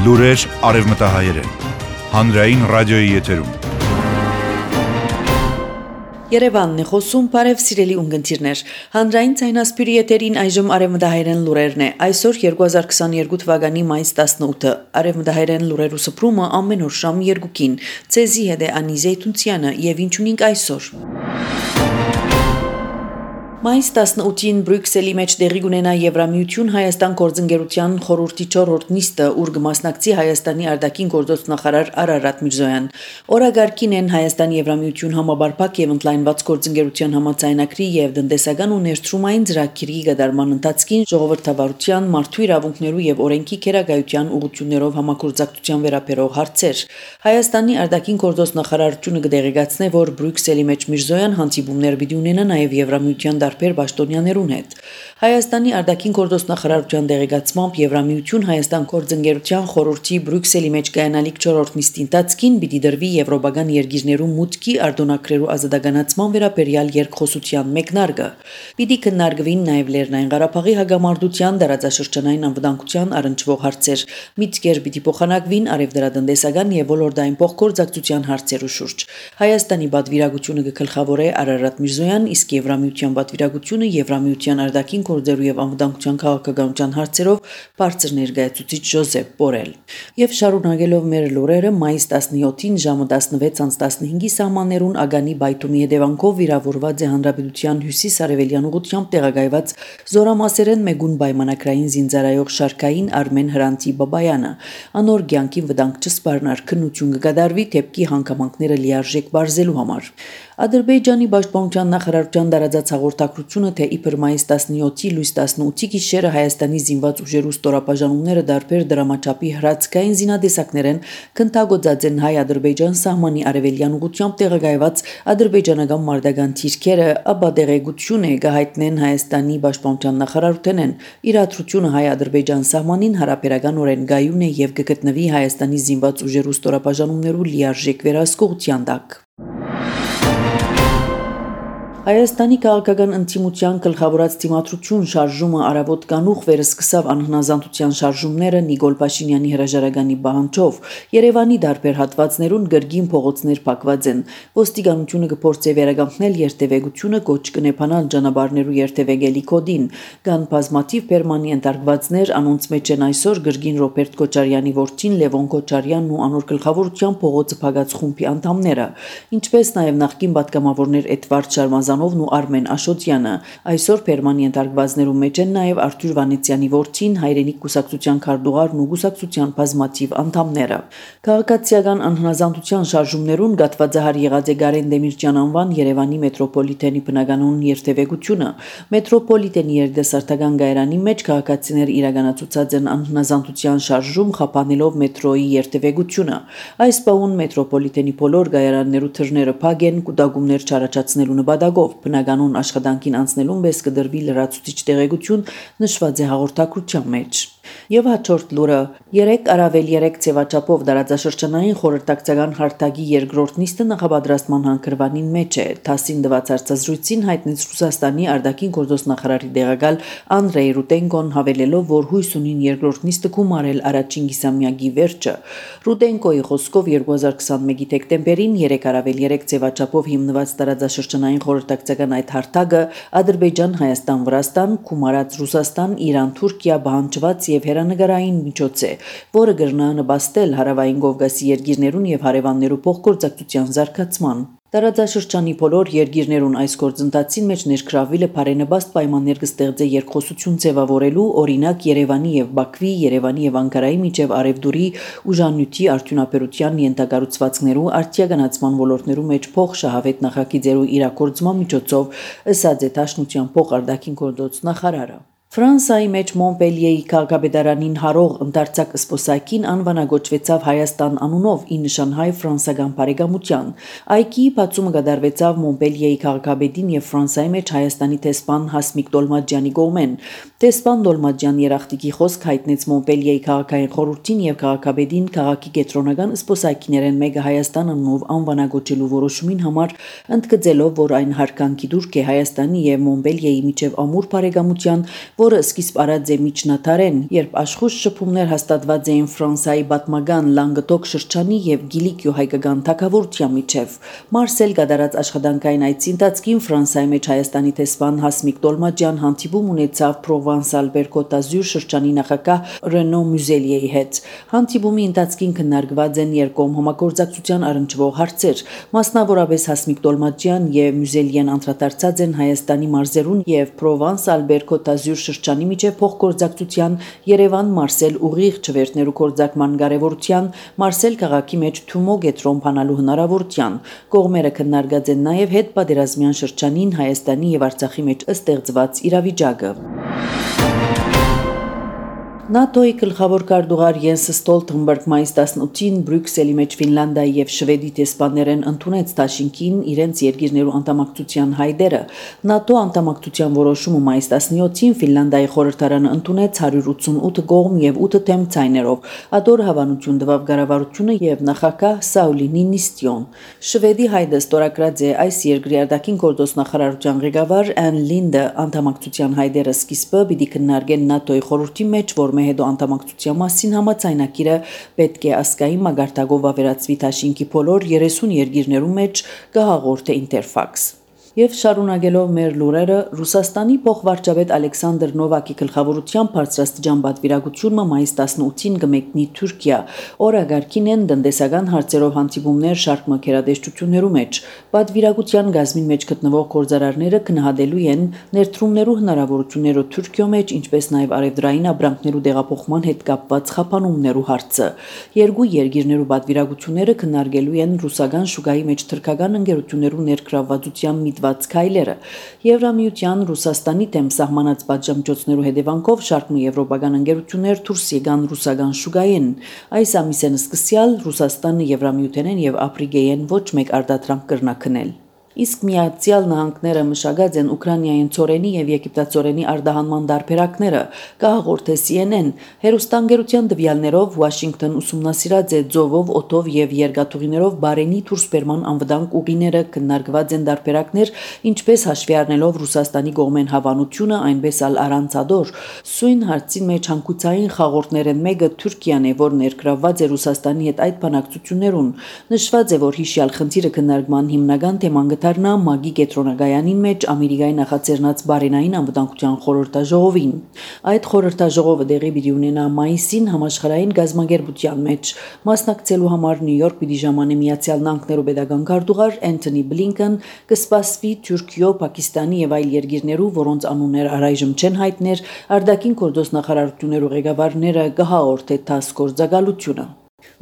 Լուրեր արևմտահայերեն, հանրային ռադիոյի եթերում։ Երևանն է խոսում, բարև սիրելի ունգընտիրներ, հանրային ցայնասպիրի եթերին այժմ արևմտահայերեն լուրերն է, այսօր 2022 թվականի մայիս 18-ը, արևմտահայերեն լուրերու սփռումը ամեն օր շամ 2-ին, ցեզի հետ է Անի Զեյթունցյանը եւ ինչ ունենք այսօր։ Մայիս 18-ին Բրյուսելի մեջ տեղի կունենա Եվրամիություն Հայաստան գործընկերության խորհրդի 4-րդ նիստը, ուր կմասնակցի Հայաստանի արտաքին գործոստ նախարար Արարատ Միրզոյան։ Օրագարկին են Հայաստան Եվրամիություն համաբարփակ եւ ընդլայնված գործընկերության համաձայնագրի եւ տնտեսական ու ներդրումային ծրագրի կատարման ընթացքին ժողովրդավարության, մարդու իրավունքներու եւ օրենքի քերագայության ուղղություններով համագործակցության վերաբերող հարցեր։ Հայաստանի արտաքին գործոստ նախարարությունը կդեղեկացնե, որ Բրյուսելի մեջ Միրզոյան հանդիպումներ պիտի ունենա նաեւ Եվրամիության տարբեր պաշտոնյաներուն հետ։ Հայաստանի արտաքին գործոստ նախարարության դեղեկացմամբ Եվրամիություն Հայաստան գործընկերության խորհրդի Բրյուսելի մեջ կայանալիք 4-րդ նիստի ընթացքին պիտի դրվի եվրոպական երկիրներու մուտքի արտոնագրերու ազատականացման վերաբերյալ երկխոսության մեկնարկը։ Պիտի քննարկվին նաև Լեռնային Ղարաբաղի հագամարտության դարաձաշրջանային անվտանգության առնչվող հարցեր։ Միտքեր պիտի փոխանակվին արևդրատնտեսական եւ ոլորտային փոխգործակցության հարցերու շուրջ։ Հայաստանի պատվիրակությունը կգլխավորե Արարատ Միրզոյան, իսկ Եվրամիության պատվիրակությունը Եվրամիության արտաքին գործերու եւ անվտանգության քաղաքականության հարցերով բարձր ներկայացուցիչ Ժոզեփ Բորել։ Եվ շարունակելով մեր լուրերը, մայիս 17-ին ժամը 16:15-ի սահմաններուն ագանի բայթումի հետևանքով վիրավորված է Հանրապետության հյուսիս-արևելյան ուղղությամբ տեղակայված զորամասերեն մեգուն պայմանագրային զինծառայող շարքային Արմեն Հրանտի Բաբայանը։ Անոր կյանքին վտանգ չսպառնար քննություն կկատարվի դեպքի հանգամանքները լիարժեք բարձելու համար։ Ադրբեջանի պաշտպանության նախարարության դարաձած հաղորդակցությունը, թե իբր մայիս 17-ի լույս 18-ի գիշերը Հայաստանի զինված ուժերու ստորապաժանումները դարբեր դրամաչափի հրացքային զինադեսակներեն քննագործած են հայ-ադրբեջան սահմանի արևելյան ուղղությամբ տեղակայված ադրբեջանական մարտական թիրքերը, ապա տեղեկություն է կհայտնեն Հայաստանի պաշտպանության նախարարութենեն։ Իրադրությունը հայ-ադրբեջան սահմանին հարաբերականորեն գայուն է եւ կգտնվի Հայաստանի զինված ուժերու ստորապաժանումներու լիարժեք վերահսկողության տակ։ Հայաստանի քաղաքական ընտիմության գլխավորած թիմադրություն շարժումը արավոտ կանուխ վերսկսավ անհնազանդության շարժումները Նիկոլ Փաշինյանի հրաժարականի պահանջով։ Երևանի դարբեր հատվածներուն գրգին փողոցներ փակված են։ Ոստիկանությունը կփորձի վերականգնել երթևեկությունը, կոչ կնեփանալ ճանապարհներու երթևեկելի կոդին։ Կան բազմաթիվ պերմանի ընտարգվածներ, անոնց մեջ են այսօր գրգին Ռոբերտ Քոչարյանի որդին Լևոն Քոչարյանն ու անոր գլխավորության փողոցը փակած խումբի անդամները, ինչպես նաև նախկին պատգամավորներ Էդվարդ Շարմազանովն ու Արմեն Աշոտյանը։ Այսօր Պերմանի ընտարգվածներու մեջ են նաև Արթուր Վանեցյանի որդին, հայրենիք կուսակցության քարտուղարն ու կուսակցության բազմաթիվ անդամները։ Քաղաքացիական անհնազանդության շարժումներուն գատվածահար եղած է Գարեն Դեմիրճյան անվան Երևանի մետրոպոլիտենի բնականոն երթևեկությունը։ Մետրոպոլիտենի երիտասարդական գայարանի մեջ քաղաքացիներ իրականացուցած են անհնազանդության շարժում, խափանելով մետրոյի երթևեկությունը։ Այս պահուն մետրոպոլիտենի բոլոր գայարաններու թռները փակ են, կուտակումներ չառաջացնելու նպատակով։ Բնականոն աշխատանքին անցնելուն պես կդրվի լրացուցիչ տեղեկություն, նշված է հաղորդակցության մեջ։ Եվ հաջորդ լուրը 3 առավել 3 ցեվաչափով դարաձաշրջանային խորհրդակցական հարթակի երկրորդ նիստը նախապատրաստման հանգրվանին մեջ է։ ԹԱՍ-ին դված հարցազրույցին հայտնեց Ռուսաստանի արտաքին գործոստ նախարարի տեղակալ Անդրեյ Ռուտենկոն, հավելելով, որ հույս ունին երկրորդ նիստը գումարել առաջին կիսամյակի վերջը։ Ռուտենկոյի խոսքով 2021-ի դեկտեմբերին 3 առավել 3 ցեվաչափով հիմնված դարաձաշրջանային խորհրդակցական այդ հարթակը Ադրբեջան, Հայաստան, Վրաստան, գումարած Ռուսաստան, Իրան, Թուրքիա բանջված եւ հերանեկարային միջոց է, որը կրնա նպաստել հարավային Կովկասի երկիրներուն եւ հարևաններու փոխգործակցության զարգացման։ Տարածաշրջանի բոլոր երկիրներուն այս գործընթացին մեջ ներգրավվելը բարենպաստ պայմաններ կստեղծե երկխոսություն ձևավորելու, օրինակ Երևանի եւ Բաքվի, Երևանի եւ Անկարայի միջև արևդուրի ուժանյութի արդյունաբերության ենթակառուցվածքներու արդիականացման ոլորտներու մեջ փոխշահավետ նախագիծերու իրագործման միջոցով, ըսած է Դաշնության փոխարդակին գործոց նախարարը։ Ֆրանսիայի մեջ Մոնպելիեի քաղաքապետարանին հարող ընդարձակ սպոսակին անվանագոչվեցավ Հայաստան անունով ի նշան հայ-ֆրանսական բարեկամության։ Այգի բացումը կատարվեցավ Մոնպելիեի քաղաքապետին եւ Ֆրանսիայի մեջ Հայաստանի տեսփան Հասմիկ Դոլմաջյանի կողմեն։ Տեսփան Դոլմաջյան երախտիկի խոսք հայտնեց Մոնպելիեի քաղաքային խորհրդին եւ քաղաքապետին քաղաքի կենտրոնական սպոսակիներեն մեկը Հայաստան անունով անվանագոչելու որոշումին համար, ընդգծելով, որ այն հարկանքի դուրք է Հայաստանի եւ Մոնպելիեի միջև ամուր բարեկամության, որը սկիզբ արած է միջնադարեն, երբ աշխույժ շփումներ հաստատված էին Ֆրանսիայի պատմական Լանգդոկ շրջանի եւ Գիլիկիո հայկական թագավորության միջև։ Մարսել գդարած աշխատանքային այցի ընթացքին Ֆրանսիայի մեջ Հայաստանի տեսփան Հասմիկ Տոլմաջյան հանդիպում ունեցավ Պրովանս-Ալբեր-Կոտ d'Azur շրջանի նախագահ Ռենո Մյուզելիեի հետ։ Հանդիպումի ընթացքին քննարկված են երկկողմ համագործակցության առնչվող հարցեր, մասնավորապես Հասմիկ Տոլմաջյան եւ Մյուզելիեն անդրադարձած են Հայաստանի մարզերուն եւ Պրովանս-Ալբեր-Կոտ d'Azur շրջանի միջև փոխգործակցության Երևան-Մարսել ուղիղ չվերթներու գործարկման կարևորության, Մարսել քաղաքի մեջ Թումո գետրոն փանալու հնարավորության։ Կողմերը քննարկած են նաեւ հետպատերազմյան շրջանին Հայաստանի եւ Արցախի մեջ ստեղծված իրավիճակը։ ՆԱՏՕ-ի գլխավոր քարտուղար Յենս Ստոլտենբերգ մայիս 18-ին Բրյուսելի մեջ Ֆինլանդիայի եւ Շվեդի տեսփաններեն ընդունեց Դաշինքին իրենց երկիրներու անդամակցության հայտերը։ ՆԱՏՕ անդամակցության որոշումը մայիս 17-ին Ֆինլանդիայի խորհրդարանը ընդունեց 188 կողմ եւ 8 թեմ ցայներով։ Ադոր հավանություն տվավ կառավարությունը եւ նախագահ Սաուլի Նինիստյոն։ Շվեդի հայտը ստորագրած է այս երկրի արտաքին գործոստ նախարարության ղեկավար Ան Լինդը անդամակցության հայտերը սկիզբը պիտի քննարկեն ՆԱՏՕ-ի խորհրդի մեջ, որ հետո անդամակցության մասին համաձայնագիրը պետք է ասկային մագարտակով ավերածվի Դաշինքի բոլոր 30 երկիրներու մեջ կհաղորդե Ինտերֆաքս։ Եվ շարունակելով մեր լուրերը, Ռուսաստանի փոխվարչապետ Ալեքսանդր Նովակի գլխավորությամբ բարձրաստիճան պատվիրակությունը մայիս 18-ին կմեկնի Թուրքիա։ Օրագարկին են տնտեսական հարցերով հանդիպումներ շարք մակերադեշտություններու մեջ։ Պատվիրակության գազմին մեջ գտնվող գործարարները քննադելու են ներդրումներու հնարավորությունները Թուրքիո մեջ, ինչպես նաև արևդրային ապրանքներու տեղափոխման հետ կապված խափանումներու հարցը։ Երկու երկիրներու պատվիրակությունները քննարկելու են ռուսական շուկայի մեջ թուրքական ընկերություններու ներգրավվածության քայլերը։ Եվրամիության Ռուսաստանի դեմ սահմանած պատժամիջոցներու հետևանքով շարք եվրոպական ընկերություններ դուրս եկան ռուսական շուկային։ Այս ամիսեն սկսյալ Ռուսաստանը Եվրամիութենեն եւ Աֆրիկայեն ոչ մեկ արտադրանք կրնակնել։ Իսկ Միացյալ Նահանգները մշակած են Ուկրաինային ծորենի եւ եգիպտացորենի արտահանման դարբերակները, կհաղորդե CNN։ Հերոստանգերության տվյալներով Վաշինգտոն ուսումնասիրած է ձովով, օդով եւ երկաթուղիներով բարենի դուրսբերման անվտանգ ուղիները, քննարկված են դարբերակներ, ինչպես հաշվի առնելով Ռուսաստանի կողմեն հավանությունը, այնպես ալ առանց ադոր։ Սույն հարցին մեջ հանգուցային խաղորդներեն մեկը Թուրքիան է, որ ներգրավված է Ռուսաստանի հետ այդ բանակցություններուն։ Նշված է, որ հիշյալ խնդիրը քննարկման հիմնական թեման դառնա ՄԱԳ-ի կենտրոնագայանին մեջ Ամերիկայի նախաձեռնած բարենային անվտանգության խորհրդաժողովին։ Այդ խորհրդաժողովը դեղի պիտի ունենա մայիսին համաշխարհային գազམ་ագերբության մեջ։ Մասնակցելու համար Նյու Յորք պիտի ժամանե Միացյալ Նահանգներու պետական քարտուղար Անթոնի Բլինքեն, կսպասվի Թուրքիո, Պակիստանի եւ այլ երկիրներու, որոնց անուններ առայժմ չեն հայտներ, արտաքին գործոստ նախարարություններու ղեկավարները կհաղորդե տաս գործակալությունը։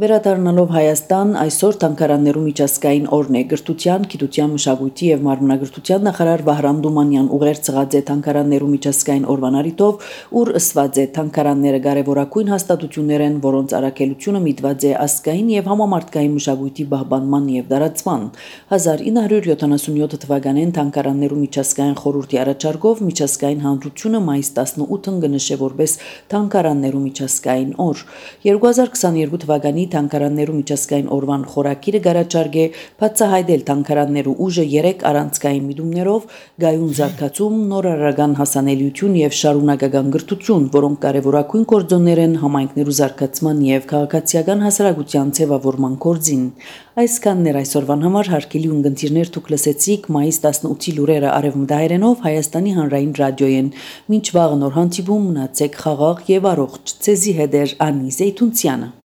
Վերադառնալով Հայաստան, այսօր Թանգարաններու միջազգային օրն է։ Գրթության, գիտության, մշակույթի եւ մարմնագրթության նախարար Վահրամ Դումանյան ուղերձած է Թանգարաններու միջազգային օրվան առիթով, ուր ըսված է Թանգարանները կարևորագույն հաստատություններ են, որոնց առաքելությունը միտված է ազգային եւ համամարտկային մշակույթի պահպանման եւ տարածման։ 1977 թվականին Թանգարաններու միջազգային խորհրդի առաջարկով միջազգային հանրությունը մայիս 18-ին կնշե որպես Թանգարաններու միջազգային օր։ 2022 թվականի Թանգարաններու միջազգային օրվան խորակիրը գարաչարգե բացահայտել թանգարաններու ուժը 3 առանցքային միտումներով՝ գայուն զարգացում, նորարարական հասանելիություն եւ շարունակական գրթություն, որոնք կարևորագույն գործոններ են համայնքներու զարգացման եւ քաղաքացիական հասարակության ձևավորման գործին։ Այսքանն էր այսօրվան համար հարգելի ունկնդիրներ, դուք լսեցիք մայիս 18-ի լուրերը արևմտահայերենով Հայաստանի հանրային ռադիոյեն։ Մինչ վաղ նոր հանդիպում, մնացեք խաղաղ եւ առողջ։ Ցեզի հետ էր Անի Զեյթունցյանը։